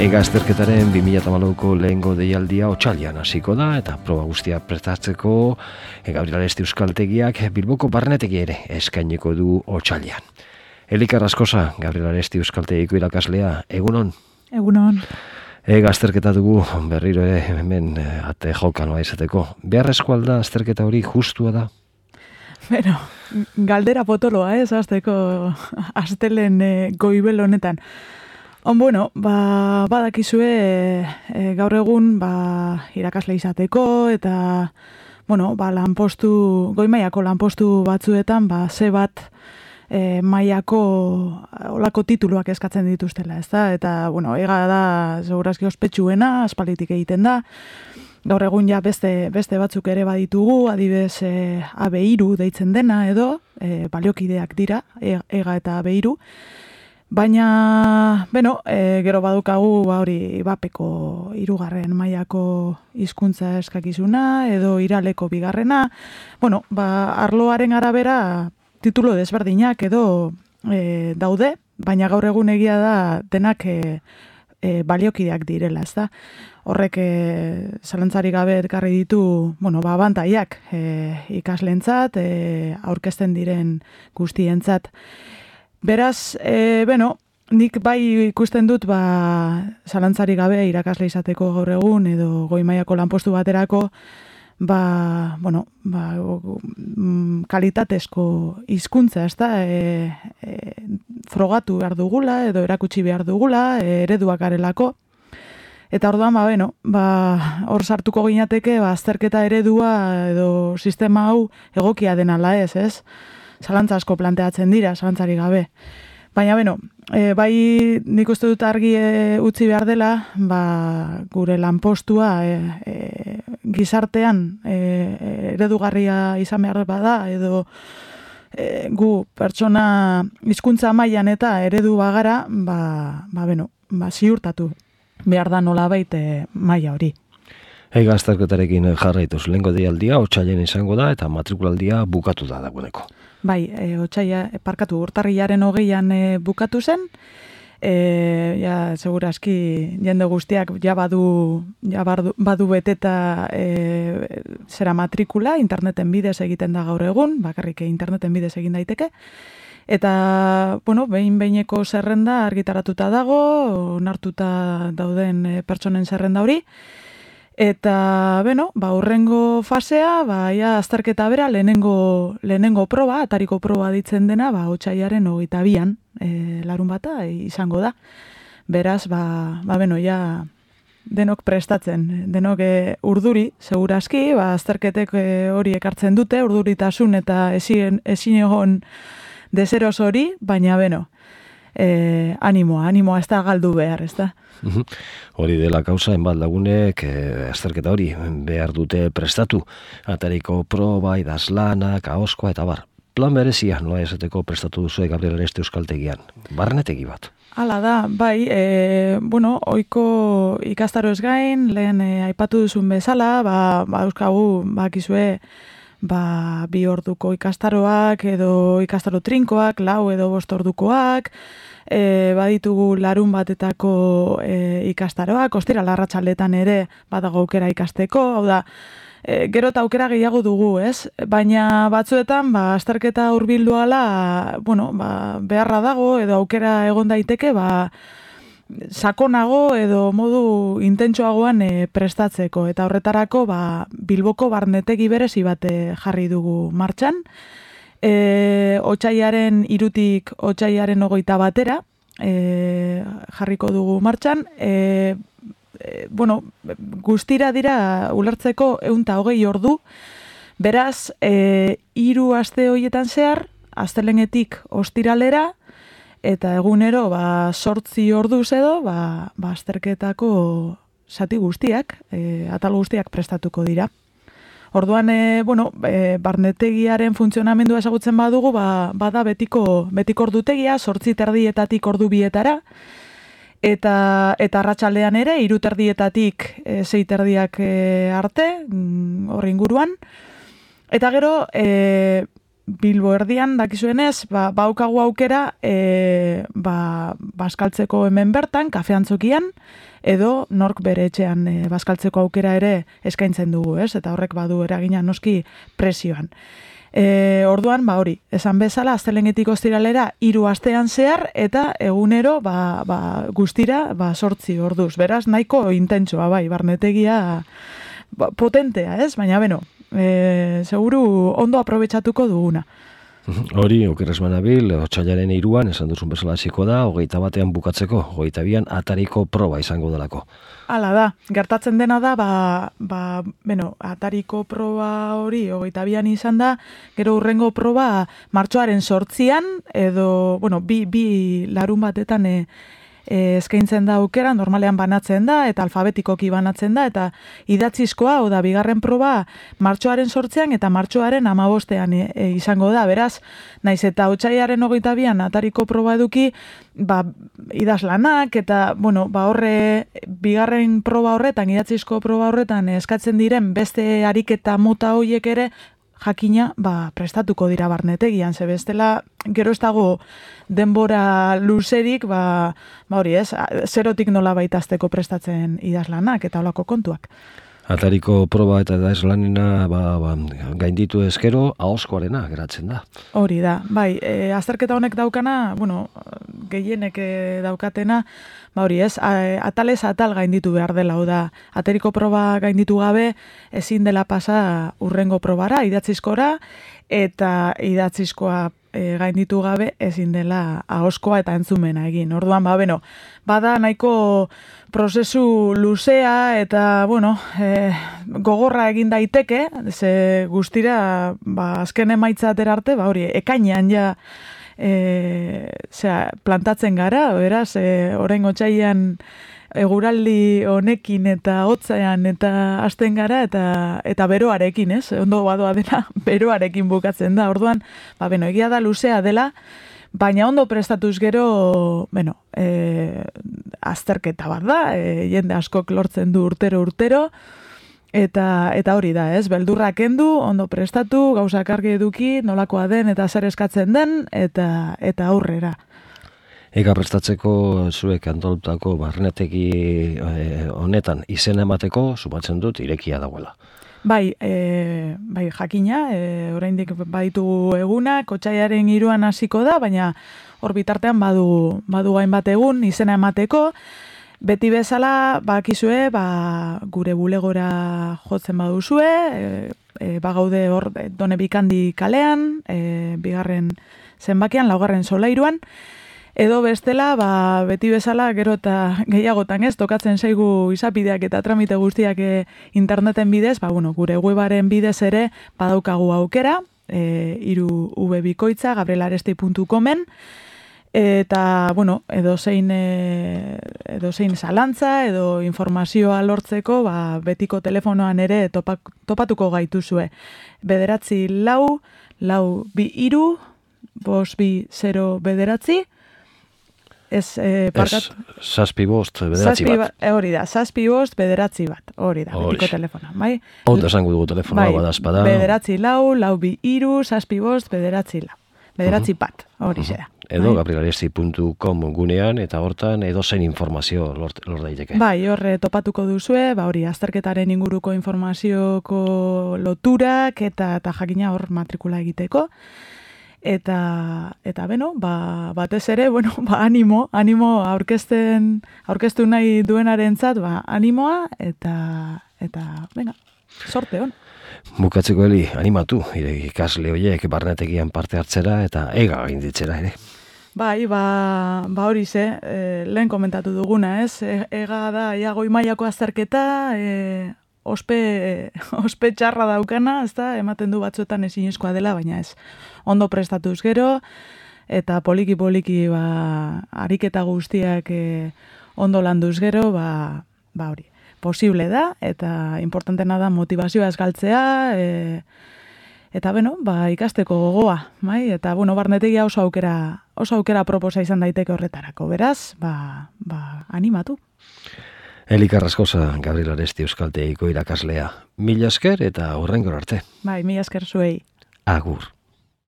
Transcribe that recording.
Ega azterketaren 2008ko lehengo deialdia otsailean hasiko da eta proba guztia prestatzeko Gabriel Aresti Euskaltegiak Bilboko barnetegi ere eskainiko du otsailean. Elika Raskosa, Gabriel Aresti Euskaltegiko irakaslea, egunon? Egunon. Ega azterketa dugu berriro ere hemen ate jokan izateko. Beharrezko alda azterketa hori justua da? Bueno, galdera potoloa, azteko astelen goibel honetan. Bueno, badakizue gaur egun irakasle izateko eta lanpostu, goi mailako lanpostu batzuetan ze bat mailako olako tituluak eskatzen dituztela, ezta? Eta ega da segurazki ospetsuena, aspalditik egiten da. Gaur egun ja beste batzuk ere baditugu, adibidez AB3 deitzen dena edo baliokideak dira, ega eta AB3. Baina, gero badukagu hori bapeko 3. mailako hizkuntza eskakizuna edo iraleko 2. Arloaren arabera titulo desberdinak edo daude, baina gaur egun egia da denak baliokideak direla, ezta? Horrek zalantzarik gabe ekarri ditu, abantaiak ikasleentzat, aurkezten diren guztientzat. Beraz, nik bai ikusten dut zalantzarik gabe irakasle izateko gaur egun edo goi mailako lanpostu baterako kalitatezko hizkuntza, ezta? Frogatu behar dugula edo erakutsi behar dugula, ereduak garelako. Eta orduan, hor sartuko ginateke, azterketa eredua edo sistema hau egokia den ala ez? Zalantza asko planteatzen dira, zalantzarik gabe. Baina, bai nik uste dut argi utzi behar dela, gure lanpostua gizartean eredugarria izan behar bada, edo gu pertsona hizkuntza mailan eta eredu bagara, ziurtatu behar da nolabait maila hori. Ega azterketarekin jarraituz, lehengo deialdia otsailean izango da eta matrikulaldia bukatu da dagoeneko. Bai, urtarrilaren 20an bukatu zen, segurazki jende guztiak badu beteta zera matrikula, interneten bidez egiten da gaur egun, bakarrik interneten bidez egin daiteke, eta, behin-behineko zerrenda argitaratuta dago, onartuta dauden pertsonen zerrenda hori, eta, urrengo fasea, azterketa bera, lehenengo proba, atariko proba ditzen dena, otsailaren 22an, larun bata, izango da. Beraz, denok prestatzen, denok urduri, segurazki, azterketek hori ekartzen dute, urduritasun eta ezin egon deseros hori, baina, animoa, ez da galdu behar, ez da? Hori dela kausa, enbat lagunek azterketa hori behar dute prestatu. Atariko proba, idazlanak, ahoskoa eta bar. Plan berezia, nola esateko prestatu duzue Gabriel Aresti Euskaltegian. Barnetegi bat. Hala da, bai, ohiko ikastaroez gain, lehen aipatu duzun bezala, euskagu, bakizue, 2 orduko ikastaroak edo ikastaro trinkoak, 4 edo 5 ordukoak, baditugu larun batetako ikastaroak, ostira larratsaldetan ere badago aukera ikasteko, hau da, gero eta aukera gehiago dugu, ez? Baina batzuetan, azterketa hurbildu ala, beharra dago edo aukera egon daiteke, sakonago edo modu intentsoagoan prestatzeko. Eta horretarako, Bilboko barnetegi berezi bat jarri dugu martxan. Otsailaren 3tik otsailaren 21 batera jarriko dugu martxan. Guztira dira ulertzeko 120 ordu. Beraz, 3 aste horietan zehar, astelehenetik ostiralera, eta egunero 8 orduz edo, azterketako zati guztiak, atal guztiak prestatuko dira. Orduan, barnetegiaren funtzionamendua ezagutzen badugu, bada betiko ordutegia, 8:30 ordu 2etara, eta arratsaldean ere, 3:30 6:30 arte, hor inguruan. Eta gero, Bilbo erdian, dakizuenez, baukagu aukera bazkaltzeko hemen bertan, kafeantzokian, edo nork bere etxean bazkaltzeko aukera ere eskaintzen dugu, ez? Eta horrek badu eragina noski prezioan. Orduan, hori, esan bezala, astelehenetik ostiralera 3 astean zehar, eta egunero guztira 8 orduz. Beraz, nahiko intentsua, barnetegia potentea, ez? Baina, seguru ondo aprobetxatuko duguna. Hori, okerrez manabil, otsailaren 3an, esan duzun bezala hasiko da, 21 bukatzeko, 22an atariko proba izango delako. Hala da, gertatzen dena da, atariko proba hori 22an izan da, gero hurrengo proba martxoaren 8an, edo, bi larun batetan eskaintzen da aukera, normalean banatzen da, eta alfabetikoki banatzen da, eta idatzizkoa, oda, bigarren proba martxoaren 8an eta martxoaren 15an izango da, beraz, naiz eta otsailaren 22an atariko proba eduki, idazlanak, eta, horre, bigarren proba horretan, idatzizko proba horretan eskatzen diren beste ariketa mota hoiek ere, jakina, prestatuko dira barnetegian, ze bestela, gero ez dago denbora luzerik, hori ez, zerotik nola baitazteko prestatzen idazlanak eta holako kontuak. Atariko proba eta idazlanena gainditu ezkero, ahozkoarena geratzen da. Hori da, azterketa honek daukana, gehienek daukatena, hori ez, atalez atal gainditu behar dela, da, atariko proba gainditu gabe, ezin dela pasa hurrengo probara, idatzizkora, eta idatzizkoa gainditu gabe ezin dela ahozkoa eta entzumena egin. Orduan, bada nahiko prozesu luzea eta, gogorra egin daiteke, ze guztira, azken emaitza atera arte, hori, ekainean ja plantatzen gara, beraz, orain otsailean eguraldi honekin eta hotzean eta hasten gara eta beroarekin, ez? Ondo badoa dena beroarekin bukatzen da. Orduan, egia da luzea dela, baina ondo prestatuz gero, azterketa bat da, jende askok lortzen du urtero, eta hori da, ez? Beldurra kendu, ondo prestatu, gauzak argi eduki, nolakoa den eta zer eskatzen den, eta aurrera. Ega prestatzeko zuek antolutako barnetegi honetan izena emateko, sumatzen dut, irekia dagoela. Bai, jakina, oraindik baditu egunak, otsailaren 3an hasiko da, baina hor bitartean badu hainbat egun izena emateko. Beti bezala, bakizue, gure bulegora jotzen baduzue, bagaude hor Done Bikandi kalean, bigarren zenbakian, 4. solairuan, edo bestela, beti bezala, gero eta gehiagotan ez, tokatzen zaigu izapideak eta tramite guztiak interneten bidez, gure webaren bidez ere badaukagu aukera, 3 bikoitza, gabrielaresti.comen, eta, edozein zalantza, edo informazioa lortzeko, betiko telefonoan ere topatuko gaituzue. 9-4-2-2-5-0-9, Zazpi bost, hori da, 7-5-9, hori da, betiko telefona, bai? Ondo esango dugu telefonoa, badazpada. 9-4-2-2-5-0-9, 9 hori zera. Edo gabrielaresti.com gunean, eta hortan edozein informazio lor daiteke. Bai, horre topatuko duzue, hori, azterketaren inguruko informazioko loturak, eta jakina hor matrikula egiteko. Eta batez ere, animo aurkeztu nahi duenarentzat, animoa, eta venga, sorte hon. Bukatzeko Eli, animatu, ikasle horiek barnetegian parte hartzera eta ega gainditzera ere. Bai, hori lehen komentatu duguna, ez? Ega da, goi mailako azterketa, ospe txarra daukana, ez da, ematen du batzuetan ezinezkoa dela, baina ez. Ondo prestatuz gero, eta poliki ariketa guztiak ondo landuz gero, hori. Posible da, eta importantena da motivazioa ez galtzea, eta ikasteko gogoa, bai? Eta barnetegia oso aukera proposa izan daiteke horretarako, beraz, animatu. Eli Carrascosa, Gabriel Aresti Euskaltegiko irakaslea. Mila esker eta hurrengora arte. Bai, mila esker zuei. Agur.